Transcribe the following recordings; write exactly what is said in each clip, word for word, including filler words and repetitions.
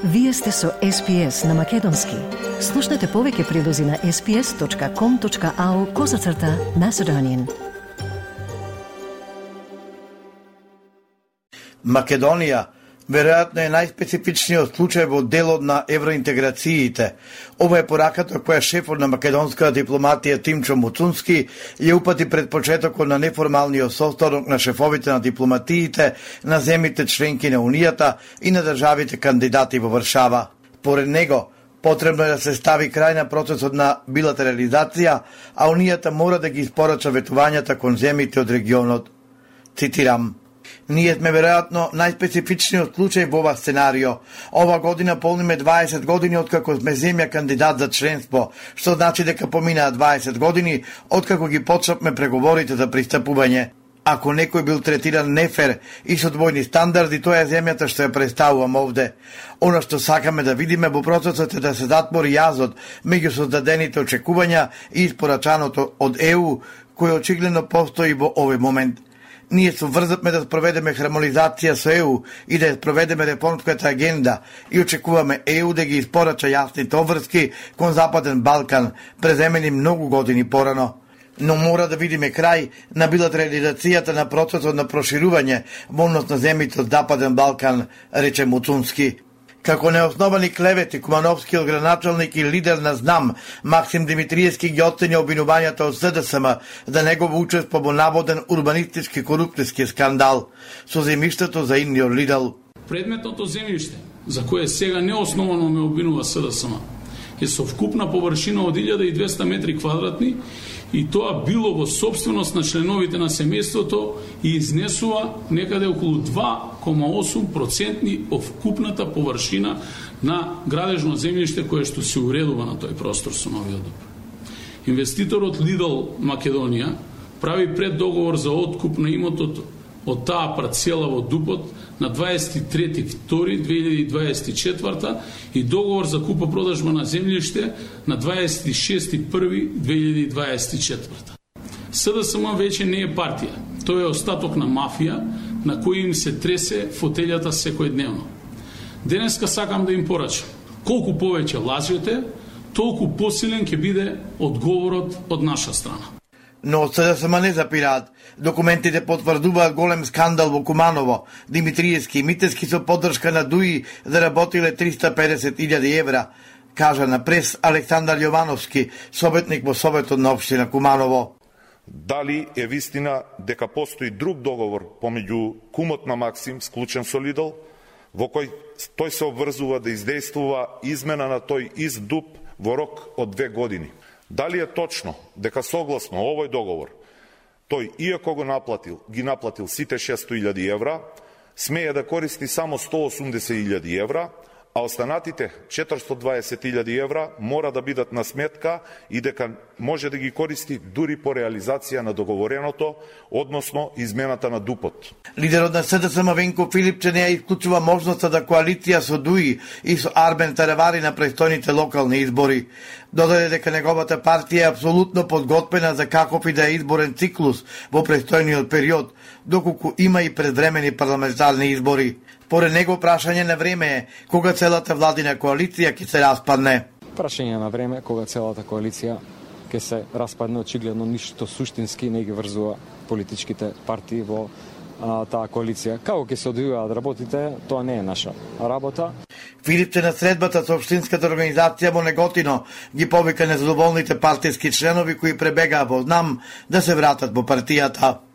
Вие сте со Ес Пи Ес на Македонски. Слушнете повеќе прилози на ес пи ес точка ком точка ау козацрта Macedonian. Македонија веројатно е најспецифичниот случај во делот на евроинтеграциите. Ова е пораката која шефот на македонската дипломатија Тимчо Муцунски ја упати пред почетокот на неформалниот состанок на шефовите на дипломатиите на земјите членки на Унијата и на државите кандидати во Варшава. Поред него, потребно е да се стави крај на процесот на билатерализација, а Унијата мора да ги испорача ветувањата кон земјите од регионот. Цитирам: Ние сме веројатно најспецифичниот случај во ова сценарио. Ова година полниме дваесет години откако сме земја кандидат за членство, што значи дека поминаа дваесет години откако ги почнавме преговорите за пристапување. Ако некој бил третиран нефер и со двојни стандарди, тоа е земјата што ја представувам овде. Она што сакаме да видиме во процесот е да се затвори јазот меѓу создадените очекувања и испорачаното од Е У, кој очигледно постои во овој момент. Ние се врзавме да спроведеме хармонизација со Е У и да ја спроведеме реформската агенда и очекуваме Е У да ги испорача јасните обврски кон Западен Балкан, преземени многу години порано. Но мора да видиме крај на билатерализацијата на процесот на проширување во однос на земјите од Западен Балкан, рече Муцунски. Како неосновани клевети, Кумановскиот градоначалник и лидер на ЗНАМ, Максим Димитриевски ги оценија обвинувањата од С Д С М за негово учество во наводен урбанистички корупцијски скандал со земјиштето за Индио Лидл. Предметното земјиште, за кое сега неосновано ме обвинува С Д С М, е со вкупна површина од илјада и двесте метри квадратни и тоа било во собственост на членовите на семејството и изнесува некаде околу два кома осум проценти од вкупната површина на градежно земјиште кое што се уредува на тој простор со новиот доп. Инвеститорот Лидл Македонија прави преддоговор за откуп на имотот од таа парцела во Дупот на дваесет и трети втори две илјади дваесет и четврта и договор за купо-продажба на земјиште на дваесет и шести први две илјади дваесет и четврта. С Д С М веќе не е партија, тој е остаток на мафија на кој им се тресе фотелјата секојдневно. Денеска сакам да им порачам, колку повеќе лажете, толку посилен ќе биде одговорот од наша страна. Но од С Д С М не запираат. Документите потврдуваат голем скандал во Куманово. Димитриевски и Митевски со поддршка на ДУИ заработиле триста педесет илјади евра, кажа на прес Александар Јовановски, советник во Советот на општина Куманово. Дали е вистина дека постои друг договор помеѓу кумот на Максим склучен со Лидл, во кој тој се обврзува да издействува измена на тој ист ДУП во рок од две години? Дали е точно дека согласно овој договор тој, иако го наплатил, ги наплатил сите шесто илјади евра, смее да користи само сто осумдесет илјади евра, а останатите четиристо дваесет илјади евра мора да бидат на сметка и дека може да ги користи дури по реализација на договореното, односно измената на ДУПот. Лидерот на С Д С М Венко Филипче не ја исклучува можноста да коалиција со ДУИ и со Арбен Таревари на престојните локални избори. Додаде дека неговата партија е апсолутно подготвена за каков и да е изборен циклус во престојниот период, доколку има и предвремени парламентарни избори. Поред него прашање на време е кога целата владина коалиција ќе се распадне. Прашање на време кога целата коалиција ќе се распадне, очигледно ништо суштински не ги врзува политичките партии во а, таа коалиција. Како ќе се одвиваат работите, тоа не е наша работа. Филипче на средбата со општинската организација во Неготино ги повика незадоволните партиски членови кои пребегаа во ЗНАМ да се вратат во партијата.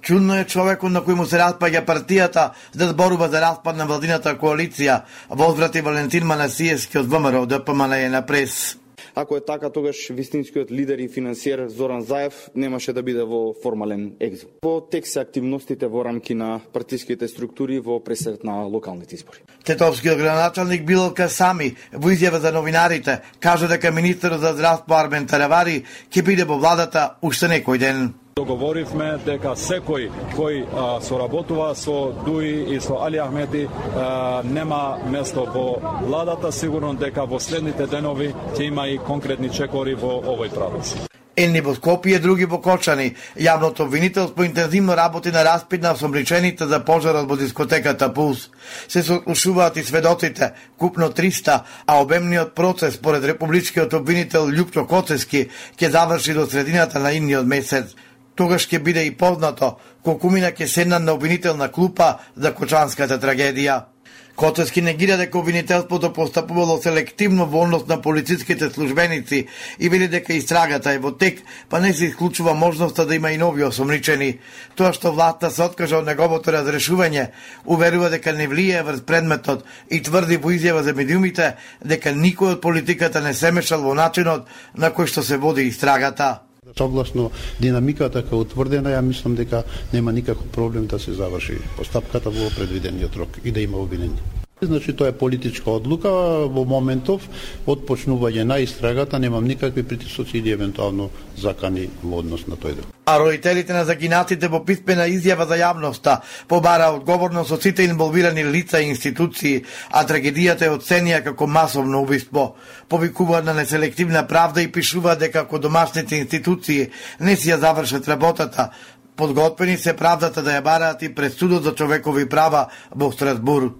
Чудно е човекот на кој му се распаѓа партијата да зборува за распад на владината коалиција, возврати Валентин Манасиевски од Вэ М Р Д П М Н Е на прес. Ако е така, тогаш вистинскиот лидер и финансиер Зоран Заев немаше да биде во формален екзил. Во тек се активностите во рамки на партиските структури во пресред на локалните избори. Тетовскиот градоначалник Билал Касами во изјава за новинарите кажа дека министерот за здравство Арбен Таревари ќе биде во владата уште некој ден. Договоривме дека секој кој а, соработува со ДУИ и со Али Ахмети а, нема место во владата, сигурно дека во следните денови ќе има и конкретни чекори во овој правец. Едни во Скопје, други во Кочани. Јавното обвинителство интензивно работи на распит на осомничените за пожарот во дискотеката Пулс. Се сослушуваат и сведоците, купно триста, а обемниот процес според републичкиот обвинител Љупчо Коцески ќе заврши до средината на идниот месец. Тогаш ќе биде и познато колку мина ќе седнат на обвинителна клупа за Кочанската трагедија. Коцески негира дека обвинителството постапувало селективно во однос на полициските службеници и вели дека истрагата е во тек, па не се исклучува можноста да има и нови осомничени. Тоа што власта се откажа од неговото разрешување, уверува дека не влијае врз предметот и тврди во изјава за медиумите дека никој од политиката не се мешал во начинот на кој што се води истрагата. Согласно динамиката кај утврдена, ја мислам дека нема никаков проблем да се заврши постапката во предвидениот рок и да има обвинение. Значи, тоа е политичка одлука, во моментов од почнување на истрагата немам никакви притисоци или евентуално закани во однос на тој дел. А родителите на загинатите во писмена изјава за јавноста побара одговорност од сите инволвирани лица и институции, а трагедијата е оценија како масовно убиство. Повикуваат на неселективна правда и пишуваат дека ако домашните институции не си ја завршат работата, подготвени се правдата да ја бараат и пред судот за човекови права во Страсбург.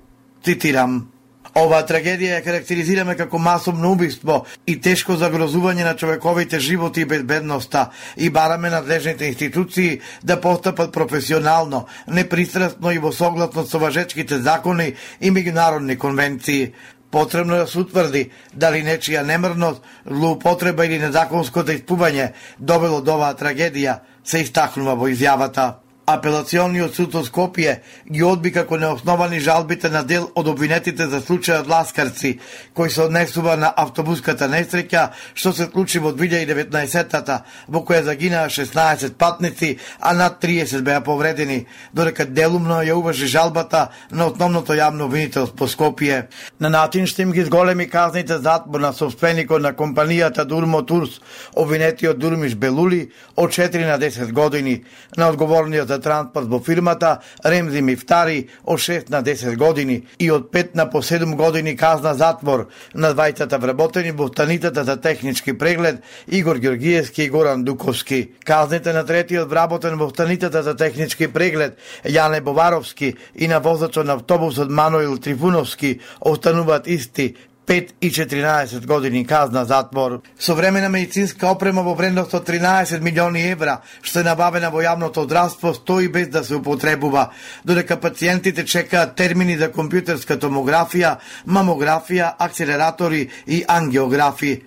Цитирам: оваа трагедија ја карактеризираме како масовно убиство и тешко загрозување на човековите животи и безбедноста и бараме надлежните институции да постапат професионално, непристрасно и во согласно со важечките закони и меѓународни конвенции. Потребно да се утврди дали нечија немрност, злоупотреба или незаконското испување довело до оваа трагедија, се истакнува во изјавата. Апелациониот суд од Скопје ги одби како неосновани жалбите на дел од обвинетите за случајот Ласкарци, кој се однесува на автобуската несреќа што се случи во две илјади и деветнаесетта, во која загинаа шеснаесет патници, а над триесет беа повредени, додека делумно ја уважи жалбата на основното јавно обвинителство Скопје. На начин што им ги зголеми казните затвор на собственикот на компанијата Дурмо Турс, обвинетиот Дурмиш Белули, од четири на десет години, на одговорниот за транспорт во фирмата Ремзи Мифтари од шест на десет години и од пет на по седум години казна затвор на двајцата вработени во станицата за технички преглед Игор Ѓоргиевски и Горан Дуковски. Казните на третиот вработен во станицата за технички преглед Јане Боваровски и на возачот на автобусот Мануил Трифуновски остануваат исти, пет и четиринаесет години казна затвор. Современа медицинска опрема во вредност од тринаесет милиони евра, што е набавена во јавното здравство, стои без да се употребува, додека пациентите чекаат термини за компјутерска томографија, мамографија, акселератори и ангиографи.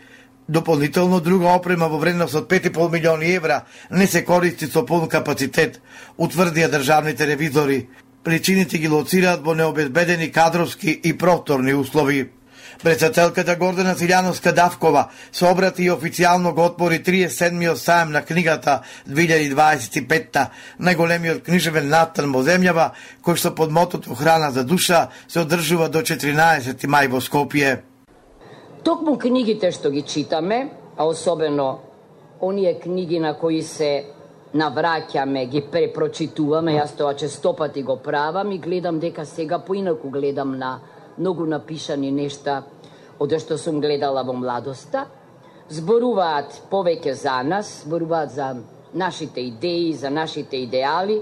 Дополнително друга опрема во вредност од пет и пол милиони евра не се користи со полн капацитет, утврдија државните ревизори. Причините ги лоцираат во необезбедени кадровски и просторни услови. Председателката Гордана Силјановска Давкова се обрати и официјално го отвори триесет и седмиот сајм на книгата две илјади дваесет и петта, најголемиот книжевен настан во земјава, кој што под мотото Храна за душа се одржува до четиринаесети мај во Скопје. Токму книгите што ги читаме, а особено оние книги на кои се навраќаме, ги препрочитуваме, јас тоа честопати го правам и гледам дека сега поинаку гледам на многу напишани нешта од што сум гледала во младоста, зборуваат повеќе за нас, зборуваат за нашите идеи, за нашите идеали,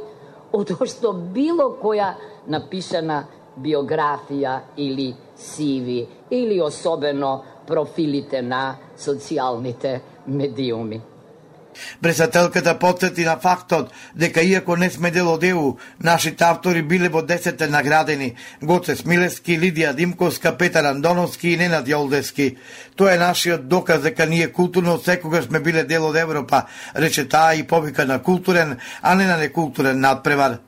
од што било која напишана биографија или сиви, или особено профилите на социјалните медиуми. Председателката потсети на фактот дека иако не сме дел од Е У, нашите автори биле во десетте наградени: Гоце Смилевски, Лидија Димковска, Петар Андоновски и Ненад Јолдевски. Тоа е нашиот доказ дека ние културно секогаш сме биле дел од Европа, рече таа и повика на културен, а не на некултурен надпревар.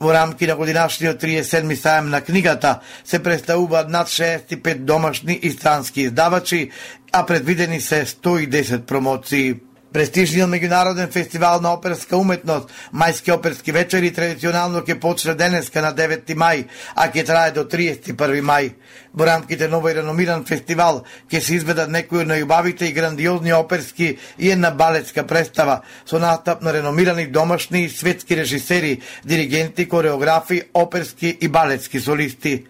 Во рамки на годинашниот триесет и седми сајм на книгата се представуваат над шеесет и пет домашни и странски издавачи, а предвидени се сто и десет промоции. Престижниот меѓународен фестивал на оперска уметност, Мајски оперски вечери, традиционално ќе почне денеска на деветти мај, а ќе трае до триесет и први мај. Во рамките на овој реномиран фестивал ќе се изведат некои од најубавите и грандиозни оперски и една балетска представа со настап на реномирани домашни и светски режисери, диригенти, кореографи, оперски и балетски солисти.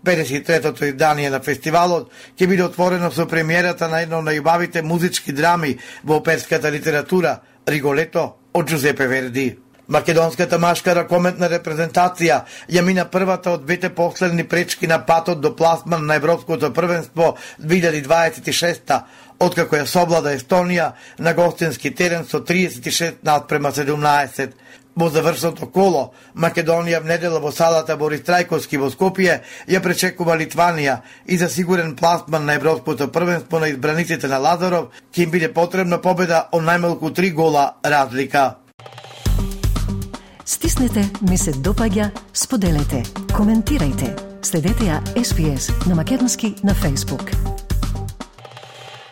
педесет и третото издание на фестивалот ќе биде отворено со премиерата на едно од најубавите музички драми во оперската литература Риголето од Джузепе Верди. Македонската машка ракометна репрезентација ја мина првата од двете последни пречки на патот до пласман на Европското првенство две илјади дваесет и шеста, откако ја соблада Естонија на гостински терен со триесет и шест наспрема седумнаесет. Во завршното коло, Македонија в недела во салата Борис Трајковски во Скопје ја пречекува Литванија и за сигурен пласман на Европското првенство на избраниците на Лазаров ќе им биде потребна победа од најмалку три гола разлика. Стиснете, ми се допаѓа, споделете, коментирајте. Следете ја Ес Би Ес на македонски на Facebook.